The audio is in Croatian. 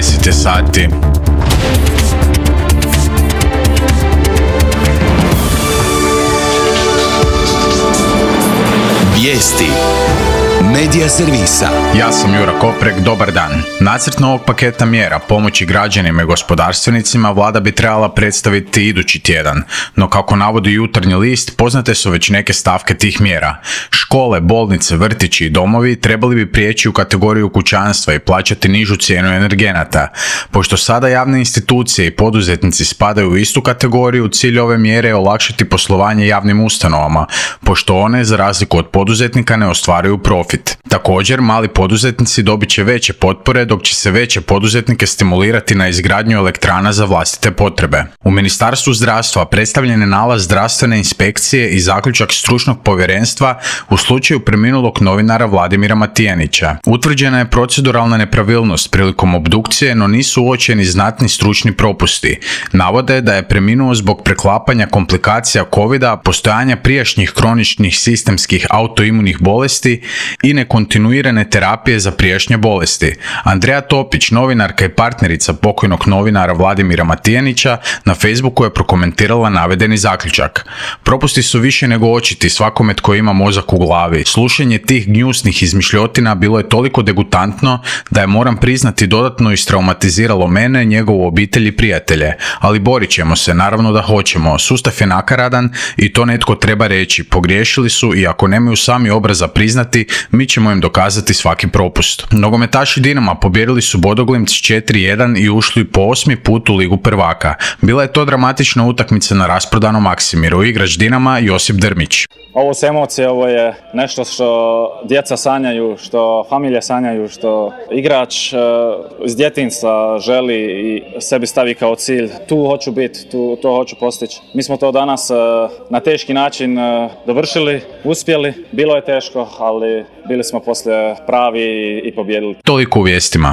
10 je sati. Vijesti Medija servisa. Ja sam Jura Koprek, dobar dan. Nacrt novog paketa mjera pomoći građanima i gospodarstvenicima vlada bi trebala predstaviti idući tjedan, no kako navodi Jutarnji list, poznate su već neke stavke tih mjera. Škole, bolnice, vrtići i domovi trebali bi prijeći u kategoriju kućanstva i plaćati nižu cijenu energenata. Pošto sada javne institucije i poduzetnici spadaju u istu kategoriju, cilj ove mjere je olakšati poslovanje javnim ustanovama, pošto one, za razliku od poduzetnika, ne ostvaruju profit. Također, mali poduzetnici dobit će veće potpore, dok će se veće poduzetnike stimulirati na izgradnju elektrana za vlastite potrebe. U Ministarstvu zdravstva predstavljen je nalaz zdravstvene inspekcije i zaključak stručnog povjerenstva u slučaju preminulog novinara Vladimira Matijanića. Utvrđena je proceduralna nepravilnost prilikom obdukcije, no nisu uočeni znatni stručni propusti. Navode da je preminuo zbog preklapanja komplikacija covida, postojanja prijašnjih kroničnih sistemskih autoimunih bolesti i nekontinuirane terapije za prijašnje bolesti. Andreja Topić, novinarka i partnerica pokojnog novinara Vladimira Matijanića, na Facebooku je prokomentirala navedeni zaključak. Propusti su više nego očiti svakome tko ima mozak u glavi. Slušanje tih gnjusnih izmišljotina bilo je toliko degutantno da je, moram priznati, dodatno istraumatiziralo mene, njegovu obitelj i prijatelje. Ali borit ćemo se, naravno da hoćemo. Sustav je nakaradan i to netko treba reći. Pogriješili su i ako nemaju sami obraza priznati, mi ćemo im dokazati svaki propust. Nogometaši Dinama pobijedili su Bodoglimt s 4-1 i ušli po 8. put u Ligu prvaka. Bila je to dramatična utakmica na rasprodanom Maksimiru. Igrač Dinama Josip Drmić. Ovo su emocije, ovo je nešto što djeca sanjaju, što familije sanjaju, što igrač iz djetinjstva želi i sebi stavi kao cilj. Tu hoću biti, to hoću postići. Mi smo to danas na teški način dovršili, uspjeli. Bilo je teško, ali bili smo poslije pravi i pobijedili. Toliko u vijestima.